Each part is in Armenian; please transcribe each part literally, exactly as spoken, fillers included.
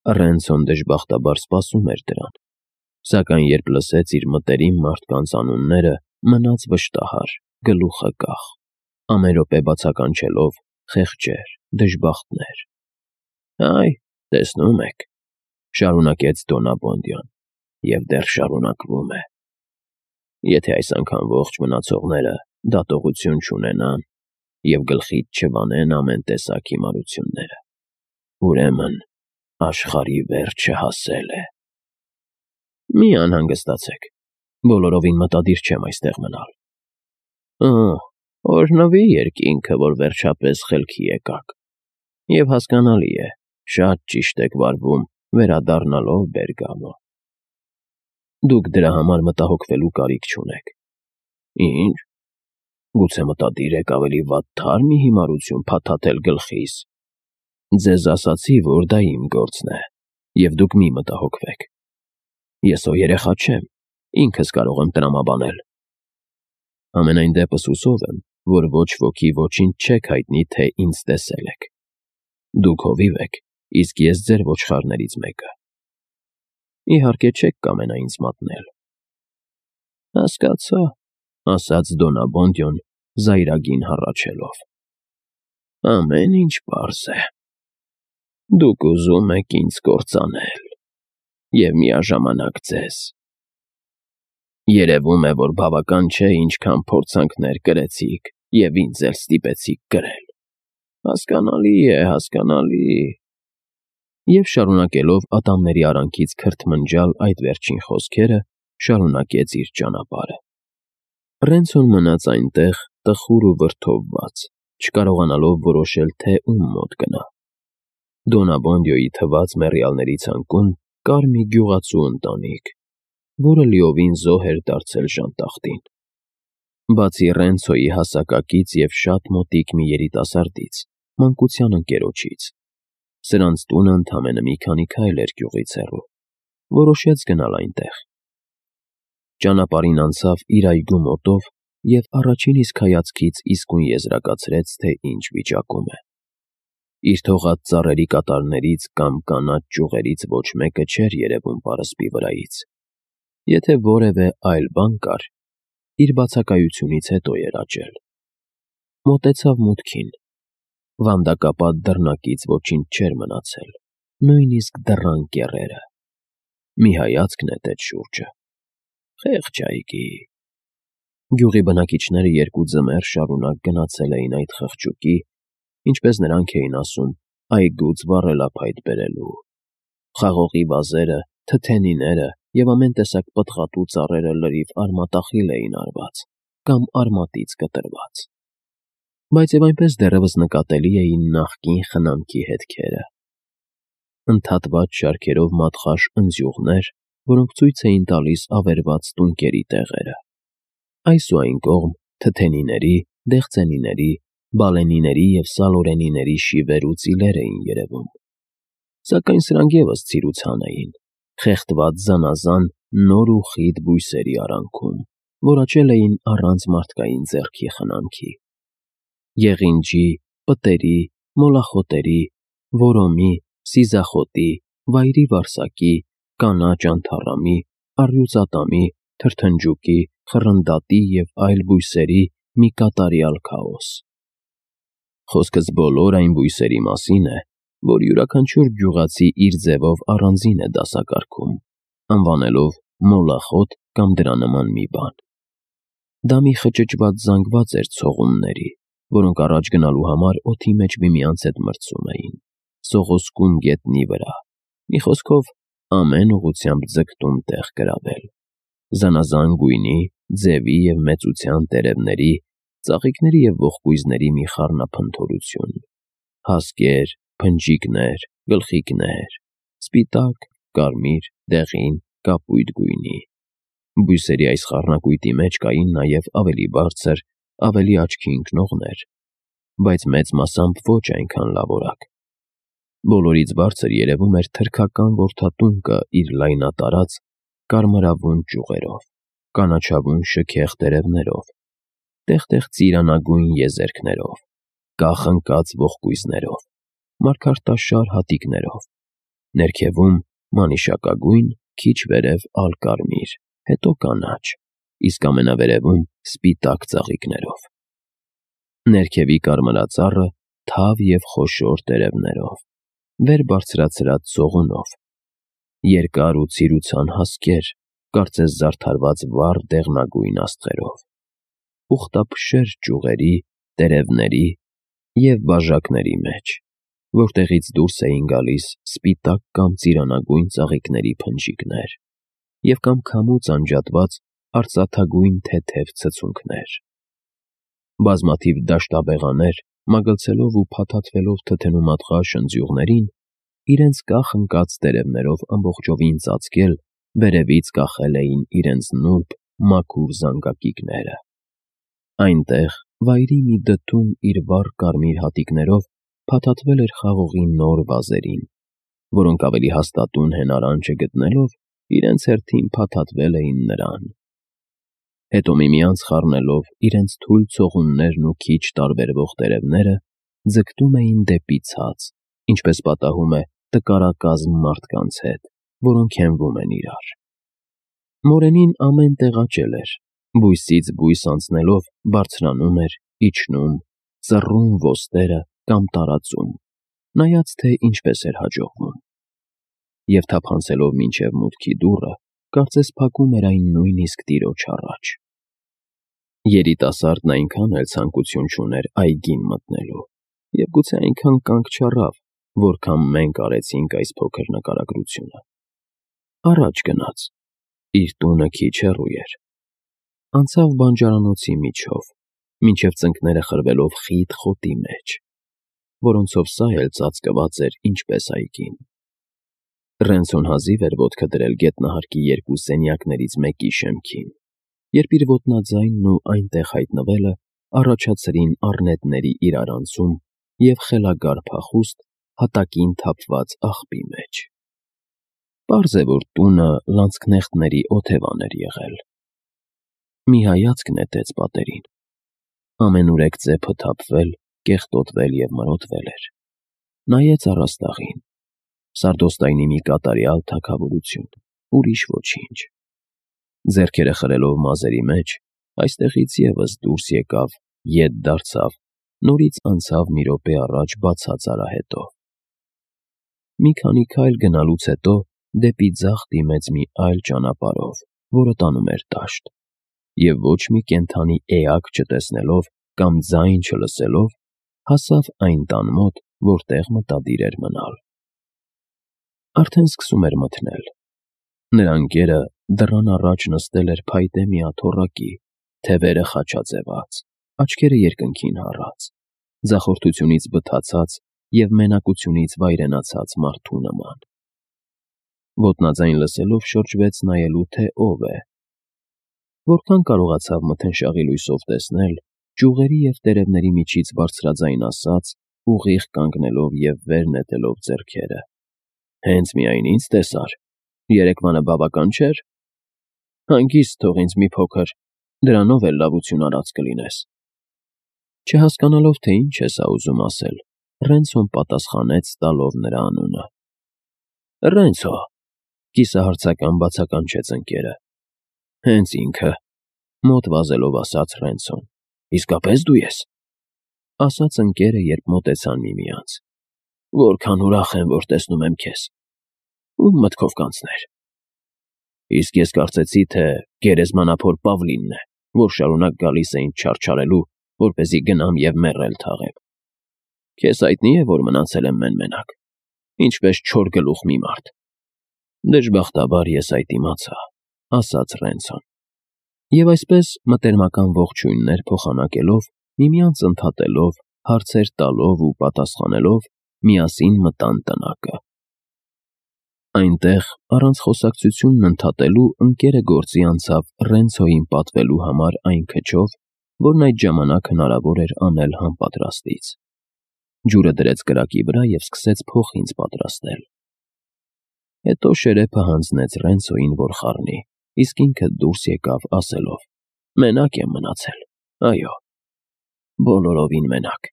Ռենցոն դժբախտաբար սպասում էր դրան, սակայն երբ լսեց իր մտերիմ մարդկանց անունները, մնաց վշտահար, գլուխը կախ, ամեն րոպե բացականչելով «խեղճեր, դժբախտներ»։ «Այ, տեսնում եք,֊ շարունակեց Դոնաբոնդյան,֊ և դեռ շարունակվում է։ Եթե այս անգամ ողջ մնացողները դատողություն չունենան և գլխից չվանեն ամեն տեսակ հիմարությունները, ուրեմն աշխարհի վերջը հասել է։ Մի անհանգստացեք, բոլորովին մտադիր չեմ այստեղ մնալ։ Օ՜, օրհնվի երկինքը, որ վերջապես խելքի եկաք, և հասկանալի է, շատ ճիշտ եք վարվում վերադառնալով Բերգամո։ Դուք դրա համար մտահոգվելու կարիք չունեք։ Ի՞նչ, գուցե մտադիր եք ավելի վատ թար մի հիմարություն փաթաթել գլխիս։ Ձեզ ասացի, որ դա իմ գործն է, և դուք մի մտահոգվեք։ Ես հո երեխա չեմ, ինքս կարող եմ տրամաբանել։ Համենայն դեպս հուսով եմ, որ ոչ ոքի ոչինչ չեք հայտնի, թե ինձ տեսել եք։ Դուք հովիվ եք, իսկ ես ձեր ոչխարներից մեկը։ Իհարկե չեք կամենա ինձ մատնել։ Հասկացա,֊ ասաց Դոնաբոնդյոն զայրագին հառաչելով։ Ամեն ինչ պարզ է։ Դուք ուզում եք ինձ կործանել և միաժամանակ ձեզ։ Երևում է, որ բավական չէ ինչքան փորձանքներ կրեցիք և ինձ էլ ստիպեցիք կրել։ Հասկանալի է, հասկանալի… Եվ շարունակելով ատամների արանքից քրթմնջալ այդ վերջին խոսքերը, շարունակեց իր ճանապարհը։ Ռենցոն մնաց այնտեղ տխուր ու վրդովված, չկարողանալով որոշել, թե ում մոտ գնա։ Դոնաբոնդյոյի թվաց մեռյալների ցանկում կար մի գյուղացու ընտանիք, որը լիովին զոհ էր դարձել ժանտախտին։ Բացի Ռենցոյի հասակակից և շատ մոտիկ մի երիտասարդից, մանկության ընկերոջից, սրանց տունը ընդամենը մի քանի քայլ էր գյուղից հեռու, որոշեց գնալ այնտեղ։ Ճանապարհին անցավ իր այգու մոտով և առաջին իսկ հայացքից իսկույն եզրակացրեց, թե ինչ վիճակում է։ Իր թողած ծառերի կատարներից կամ կանաչ ճյուղերից ոչ մեկը չէր երևում պարսպի վրայից։ Եթե որևէ այլ բան կար, իր բացակայությունից հետո էր աճել։ Մոտեցավ մուտքին։ Վանդակապատ դռնակից ոչինչ չէր մնացել, նույնիսկ դռան կեռերը։ Մի հայացք նետեց շուրջը։ Խեղճ այգի։ Գյուղի բնակիչները երկու ձմեռ շարունակ գնացել էին այդ խղճուկի, ինչպես նրանք էին ասում, այգուց վառելափայտ բերելու։ Խաղողի վազերը, թթենիները և ամեն տեսակ պտղատու ծառերը լրիվ արմատախիլ էին արված կամ արմատից կտրված։ Բայց և այնպես դեռևս նկատելի էին նախկին խնամքի հետքերը։ Ընդհատված շարքերով մատխաշ ընձյուղներ, որոնք ցույց էին տալիս ավերված տունկերի տեղերը։ Այս ու այն կողմ թթենիների, դեղցենիների, բալենիների և սալորենիների շիվեր ու ծիլեր էին երևում։ Սակայն սրանք ևս ցիրուցան էին, խեղդված զանազան նոր ու խիտ բույսերի արանքում, որ աճել էին առանց մարդկային ձեռքի խնամքի։ Եղինջի, պտերի, մոլախոտերի, որոմի, սիզախոտի, վայրի վարսակի, կանաչ անթառամի, առյուծատամի, թրթնջուկի, խռնդատի և այլ բույսերի մի կատարյալ քաոս։ Խոսքս բոլոր այն բույսերի մասին է, որ յուրաքանչյուր գյուղացի իր ձևով առանձին է դասակարգում, անվանելով մոլախոտ կամ դրա նման մի բան։ Դա մի խճճված զանգված էր ցողունների, որոնք առաջ գնալու համար օդի մեջ միմյանց հետ մրցում էին, սողոսկում գետնի վրա, մի խոսքով ամեն ուղղությամբ ձգտում տեղ գրավել։ Զանազան գույնի, ձևի և մեծության տերևների, ծաղիկների և ողկույզների մի խառնափնթորություն։ Հասկեր, փնջիկներ, գլխիկներ, սպիտակ, կարմիր, դեղին, կապույտ գույնի։ Բույսերի այս խառնակույտի մեջ կային նաև ավելի բարձր, ավելի աչքի ընկնողներ, բայց մեծ մասամբ ոչ այնքան լավորակ։ Բոլորից բարձր երևում էր թրքական որդատունկը իր լայնատարած, կարմրավուն ճյուղերով, կանաչավուն շքեղ տերևներով, տեղ֊տեղ ծիրանագույն եզերքներով, կախ ընկած ողկույզներով, մարգարտաշար հատիկներով, Ներքևում մանիշակագույն, քիչ վերև ալկարմիր, հետո կանաչ, իսկ ամենավերևում սպիտակ ծաղիկներով։ Ներքևի կարմրածառը թավ և խոշոր տերևներով, վեր բարձրացրած ծողունով, երկար ու ցիրուցան հասկեր, կարծես զարդարված վառ դեղնագույն աստղերով, ուխտափշեր ճյուղերի, տերևների և բաժակների մեջ, որտեղից դուրս էին գալիս սպիտակ կամ ծիրանագույն ծաղիկների փնջիկներ և կամ քամուց անջատված արծաթագույն թեթև ցցունքներ։ Բազմաթիվ դաշտաբեղաներ, մագլցելով ու փաթաթվելով թթենու մատղաշ ընձյուղներին, իրենց կախ ընկած տերևներով ամբողջովին ծածկել, վերևից կախել էին իրենց նուրբ, մաքուր զանգակիկները։ Այնտեղ, վայրի մի դդում իր վառ կարմիր հատիկներով փաթաթվել էր խաղողի նոր վազերին, որոնք ավելի հաստատուն հենարանջը գտնելով, իրենց հերթին փաթաթվել էին նրան։ Հետո միմյանց խառնելով իրենց թույլ ցողուններն ու քիչ տարբերվող տերևները, ձգտում էին դեպի ցած, ինչպես պատահում է տկարակազմ մարդկանց հետ, որոնք հենվում են իրար։ Մորենին ամեն տեղ աճել էր, բույսից բույս անցնելով բարձրանում էր, իջնում, ծռում ոստերը կամ տարածում, նայած թե ինչպես էր հաջողվում։ Եվ թափանցելով մինչև մուտքի դուռը, կարծես փակում էր այն նույնիսկ տիրոջ առաջ։ Երիտասարդն այնքան էլ ցանկություն չուներ այգին մտնելու և գուցե այնքան կանգ չառավ, որքան մենք արեցինք այս փոքր նկարագրությունը։ Առաջ գնաց, իր տունը քիչ հեռու էր, անցավ բանջարանոցի միջով, մինչև ծնկները խրվելով խիտ խոտի մեջ, որոնցով սա էլ ծածկված էր ինչպես այգին։ Ռենցոն հազիվ էր ոտքը դրել գետնահարկի երկու սենյակներից մեկի շեմքին, երբ իր ոտնաձայնն ու այնտեղ հայտնվելը առաջացրին առնետների իրարանցում և խելագար փախուստ հատակին թափված աղբի մեջ։ Պարզ է, որ տունը լանցքնեխտների օթևան էր եղել։ Մի հայացք նետեց պատերին։ Ամենուրեք ծեփը թափվել, կեղտոտվել և մրոտվել էր։ Նայեց առաստաղին։ Սարդոստայնի մի կատարյալ թագավորություն, ուրիշ ոչինչ։ Ձեռքերը խրելով մազերի մեջ, այստեղից ևս դուրս եկավ, ետ դարձավ, նորից անցավ մի րոպե առաջ բացած արահետով։ Մի քանի քայլ գնալուց հետո դեպի ձախ դիմեց մի այլ ճանապարհով, որը տանում էր դաշտ, և ոչ մի կենդանի էակ չտեսնելով կամ ձայն չլսելով, հասավ այն տան մոտ, որտեղ մտադիր էր մնալ։ Արդեն սկսում էր մթնել։ Նրա ընկերը դռան առաջ նստել էր փայտե մի աթոռակի, թևերը խաչաձևած, աչքերը երկնքին հառած, ձախորդությունից բթացած և մենակությունից վայրենացած մարդու նման։ Ոտնաձայն լսելով շրջվեց նայելու, թե ով է։ Որքան կարողացավ մթնշաղի լույսով տեսնել, ճյուղերի և տերևների միջից բարձրաձայն ասաց, ուղիղ կանգնելով և վեր նետելով ձեռքերը. «Հենց միայն ինձ տեսար, երեկվանը բավական չէր։ Հանգիստ թող ինձ մի փոքր, դրանով էլ լավություն արած կլինես»։ Չհասկանալով, թե ինչ է սա ուզում ասել, Ռենցոն պատասխանեց տալով նրա անունը։ «Ռենցո», կիսահարցական բացականչեց ընկերը։ «Հենց ինքը», մոտ վազելով ասաց Ռենցոն։ «Իսկապես դու ես», ասաց ընկերը, երբ մոտեցան միմյանց։ «Որքան ուրախ եմ, որ տեսնում եմ քեզ։ Ո՞ւմ մտքով կանցներ»։ «Իսկ ես կարծեցի, թե գերեզմանափոր Պավլինն է, որ շարունակ գալիս է ինձ չարչարելու, որպեսզի գնամ և մեռել թաղեմ։ Քեզ հայտնի է, որ մնացել եմ մեն֊մենակ, ինչպես չոր գլուխ մի մարդ»։ «Դժբախտաբար ես այդ իմացա», ասաց Ռենցոն։ Եվ այսպես, մտերմական ողջույններ փոխանակելով, միմյանց ընդհատելով, հարցեր տալով ու պատասխանելով, միասին մտան տնակը։ Այնտեղ, առանց խոսակցությունն ընդհատելու, ընկերը գործի անցավ Ռենցոյին պատվելու համար այն քչով, որն այդ ժամանակ հնարավոր էր անել համապատրաստից։ Ջուրը դրեց կրակի վրա և սկսեց փոխինձ պատրաստել։ Հետո շերեփը հանձնեց Ռենցոյին, որ խառնի, իսկ ինքը դուրս եկավ, ասելով. «Մենակ եմ մնացել, այո, բոլորովին մենակ»։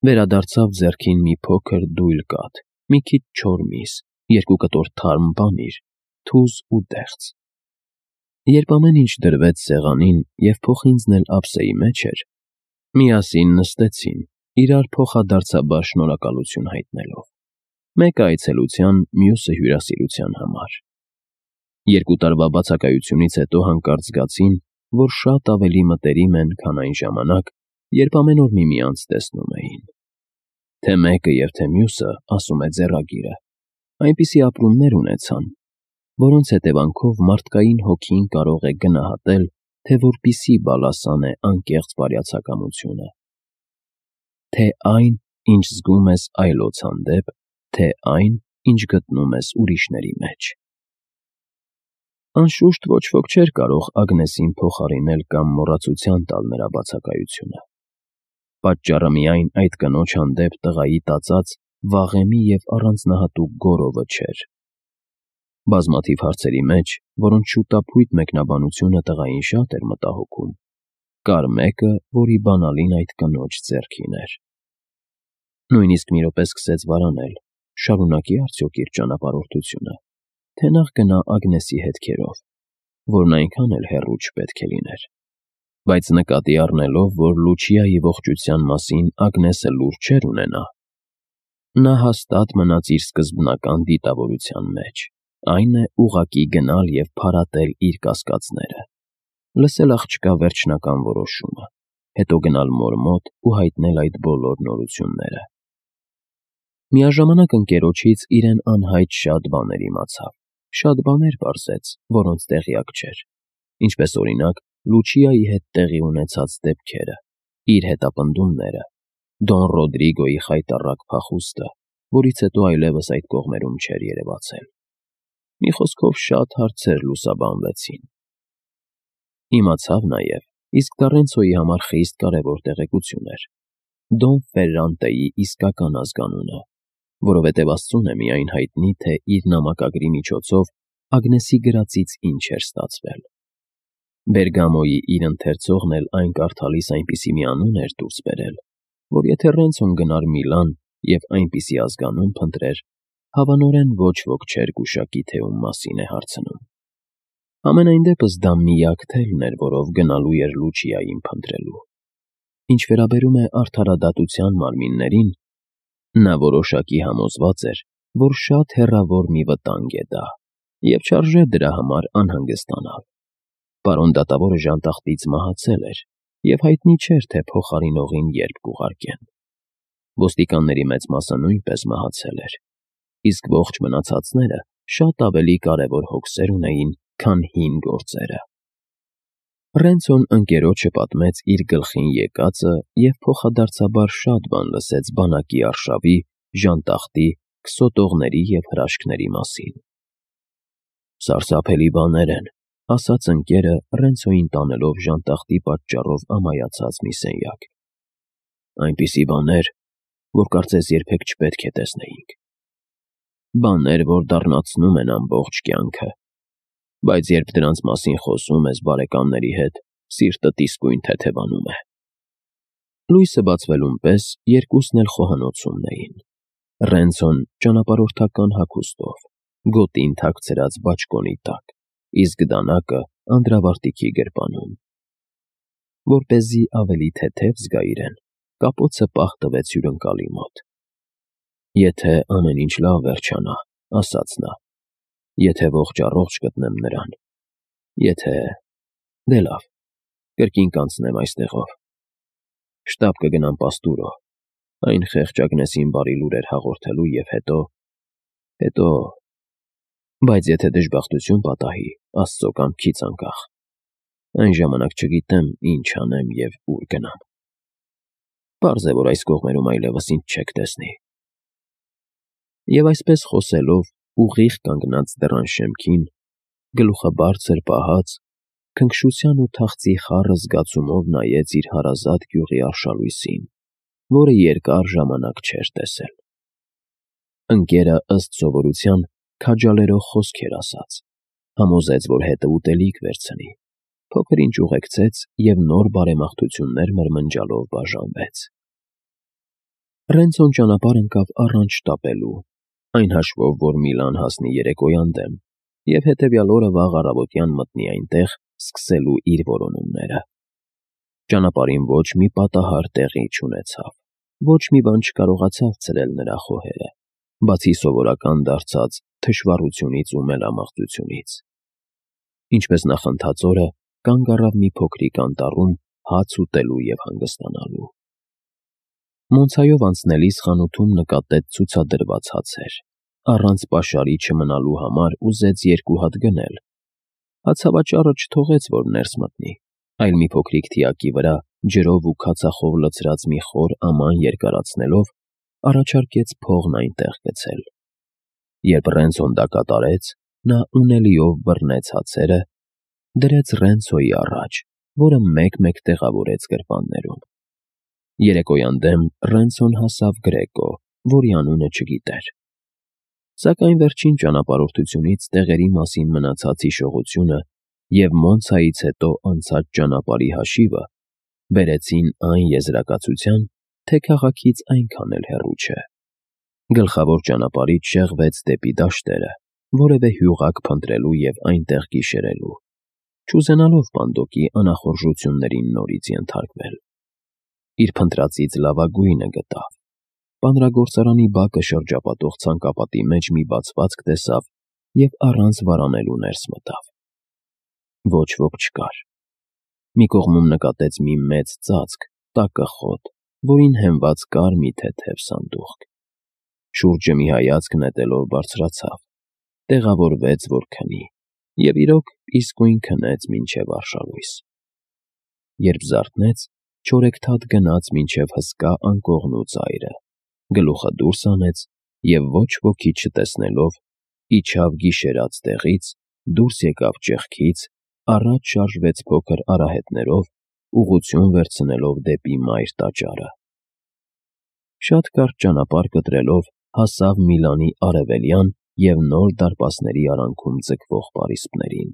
Վերադարձավ ձեռքին մի փոքր դույլ կաթ, մի քիչ չոր միս երկու կտոր թարմ պանիր, թուզ ու դեղց։ Երբ ամեն ինչ դրվեց սեղանին և փոխինձն էլ ափսեի մեջ էր, միասին նստեցին, իրար փոխադարձաբար շնորհակալություն հայտնելով, մեկը այցելության, մյուսը հյուրասիրության համար։ Երկու տարվա բացակայությունից հետո հանկարծ զգացին, որ շատ ավելի մտերիմ են, քան այն ժամանակ, երբ ամեն օր միմյանց տեսնում էին։ Թե մեկը և թե մյուսը, ասում է ձեռագիրը, այնպիսի ապրումներ ունեցան, որոնց հետևանքով մարդկային հոգին կարող է գնահատել, թե որպիսի բալասան է անկեղծ բարյացակամությունը, թե այն, ինչ զգում ես այլոց հանդեպ, թե այն, ինչ գտնում ես ուրիշների մեջ։ Անշուշտ ոչ ոք չէր կարող Ագնեսին փոխարինել կամ մոռացության տալ նրա բացակայությունը։ Պատճառը միայն այդ կնոջ հանդեպ տղայի տածած վաղեմի և առանձնահատուկ գոռովը չէր։ Բազմաթիվ հարցերի մեջ, որոնց շուտափույթ մեկնաբանությունը տղային շատ էր մտահոգում, կար մեկը, որի բանալին այդ կնոջ ձեռքին էր։ Նույնիսկ մի րոպե սկսեց վարանել, շարունակի արդյոք իր ճանապարհորդությունը, թե նախ գնա Ագնեսի հետքերով, որն այնքան էլ հեռու չպետք է լիներ։ Բայց նկատի առնելով, որ Լուչիայի ողջության մասին Ագնեսը լուր չէր ունենա, նա հաստատ մնաց իր սկզբնական դիտավորության մեջ, այն է ուղղակի գնալ և փարատել իր կասկածները, լսել աղջկա վերջնական որոշումը, հետո գնալ մոր մոտ ու հայտնել այդ բոլոր նորությունները։ Միաժամանակ ընկերոջից իրեն անհայտ շատ բաներ իմացավ, շատ բաներ պարզեց, որոնց տեղյակ չէր, ինչպես օրինակ Լուչիայի հետ տեղի ունեցած դեպքերը, իր հետապնդումները, Դոն Ռոդրիգոյի խայտառակ փախուստը, որից հետո այլևս այդ կողմերում չէր երևացել։ Մի խոսքով շատ հարցեր լուսաբանվեցին։ Իմացավ նաև, իսկ Տառենցոյի համար խիստ կարևոր տեղեկություն էր, Դոն Ֆերրանտեի իսկական ազգանունը, որովհետև Աստծուն է միայն հայտնի, թե իր նամակագրի միջոցով Ագնեսի գրածից ինչ էր ստացվել։ Բերգամոյի իր ընթերցողն էլ այն կարդալիս այնպիսի մի անուն էր դուրս բերել, որ եթե Ռենցոն գնար Միլան և այնպիսի ազգանուն փնտրեր, հավանորեն ոչ ոք չէր գուշակի, թե ում մասին է հարցնում։ Համենայն դեպս դա միակ թելն էր, որով գնալու էր Լուչիային փնտրելու։ Ինչ վերաբերում է արդարադատության մարմիններին, նա որոշակի համոզված էր, որ շատ հեռավոր մի վտանգ է դա, և չարժե դրա համար անհանգստանալ։ Պարոն դատավորը ժանտախտից մահացել էր, և հայտնի չէր, թե փոխարինողին երբ կուղարկեն։ Ոստիկանների մեծ մասը նույնպես մահացել էր, իսկ ողջ մնացածները շատ ավելի կարևոր հոգսեր ունեին, քան հին գործերը։ Ռենցոն ընկերոջը պատմեց իր գլխին եկածը և փոխադարձաբար շատ բան լսեց բանակի արշավի, ժանտախտի, քսոտողների և հրաշքների մասին։ Սարսափելի բաներ են, ասաց ընկերը Ռենցոյին տանելով ժանտախտի պատճառով ամայացած մի սենյակ։ Այնպիսի բաներ, որ կարծես երբեք չպետք է տեսնեինք։ Բաներ, որ դառնացնում են ամբողջ կյանքը, բայց երբ դրանց մասին խոսում ես բարեկամների հետ, սիրտդ իսկույն թեթևանում է։ Լույսը բացվելուն պես երկուսն էլ խոհանոցումն էին։ Ռենցոն ճանապարհորդական հագուստով, գոտին թաքցրած բաճկոնի տակ, իսկ դանակը անդրավարտիքի գրպանում։ Որպեսզի ավելի թեթև զգա իրեն, կապոցը պահ տվեց հյուրընկալի մոտ։ Եթե ամեն ինչ լավ վերջանա, ասաց նա, եթե ողջ-առողջ գտնեմ նրան, եթե… դե լավ, կրկին կանցնեմ այստեղով։ Շտապ կգնամ Պաստուրո, այն խեղճ Ագնեսին բարի լուրեր հաղորդելու և հետո… հետո… Բայց եթե դժբախտություն պատահի, Աստծո կամքից անկախ, այն ժամանակ չգիտեմ ինչ անեմ և ուր գնամ։ Պարզ է, որ այս կողմերում այլևս ինձ չեք տեսնի։ Եվ այսպես խոսելով, ուղիղ կանգնած դռան շեմքին, գլուխը բարձր պահած, քնքշության ու թախծի խառը զգացումով նայեց իր հարազատ գյուղի արշալույսին, որը երկար ժամանակ չէր տեսել։ Ընկերը, ըստ սովորության, քաջալերող խոսքեր ասաց, համոզեց, որ հետը ուտելիք վերցնի, փոքր-ինչ ուղեկցեց և նոր բարեմաղթություններ մրմնջալով բաժանվեց։ Ռենցոն ճանապարհ ընկավ առանց շտապելու, այն հաշվով, որ Միլան հասնի երեկոյան դեմ, և հետևյալ օրը վաղ առավոտյան մտնի այնտեղ, սկսելու իր որոնումները։ Ճանապարհին ոչ մի պատահար տեղի չունեցավ, ոչ մի բան չկարողացավ ցրել նրա խոհերը, բացի սովորական դարձած թշվառությունից ու մելամաղձությունից։ Ինչպես նախընթաց օրը, կանգ առավ մի փոքրիկ անտառում հաց ուտելու և հանգստանալու։ Մոնցայով անցնելիս խանութում նկատեց ցուցադրված հացեր, առանց պաշարի չմնալու համար ուզեց երկու հատ գնել։ Հացավաճառը չթողեց, որ ներս մտնի, այլ մի փոքրիկ թիակի վրա ջրով ու քացախով լցրած մի խոր աման երկարացնելով, առաջարկեց փողն այնտեղ գցել։ Երբ Ռենցոն դա կատարեց, նա ունելիով բռնեց հացերը, դրեց Ռենցոյի առաջ, որը մեկ-մեկ տեղավորեց գրպաններում։ Երեկոյան դեմ Ռենցոն հասավ Գրեկո, որի անունը չգիտեր։ Սակայն վերջին ճանապարհորդությունից տեղերի մասին մնացած հիշողությունը և Մոնցայից հետո անցած ճանապարհի հաշիվը բերեցին այն եզրակացության, թե քաղաքից այնքան էլ հեռու չէ։ Գլխավոր ճանապարհից շեղվեց դեպի դաշտերը, որևէ հյուղակ փնտրելու և այնտեղ գիշերելու, չուզենալով Պանդոկի անախորժություններին նորից ենթարկվել։ Իր փնտրածից լավագույնը գտավ։ Բանրագործարանի բակը շրջապատող ցանկապատի մեջ մի բացվածք տեսավ և առանց վարանելու ներս մտավ։ Ոչ ոք չկար։ Մի կողմում նկատեց մի մեծ ծածկ, տակը խոտ, որին հենված կար մի թեթև սանդուղք։ Շուրջը մի հայացք նետելով բարձրացավ, տեղավորվեց, որ քնի, և իրոք իսկույն քնեց մինչև արշալույս։ Երբ զարթնեց, չորեքթաթ գնաց մինչև հսկա անկողնու ծայրը, գլուխը դուրս հանեց և ոչ ոքի չտեսնելով, իջավ գիշերած տեղից, դուրս եկավ ճեղքից, առաջ շարժվեց փոքր արահետներով, ուղղություն վերցնելով դեպի մայր տաճարը։ Շատ կարճ ճանապարհ կտրելով հասավ Միլանի արևելյան և նոր դարպասների արանքում ձգվող պարիսպներին։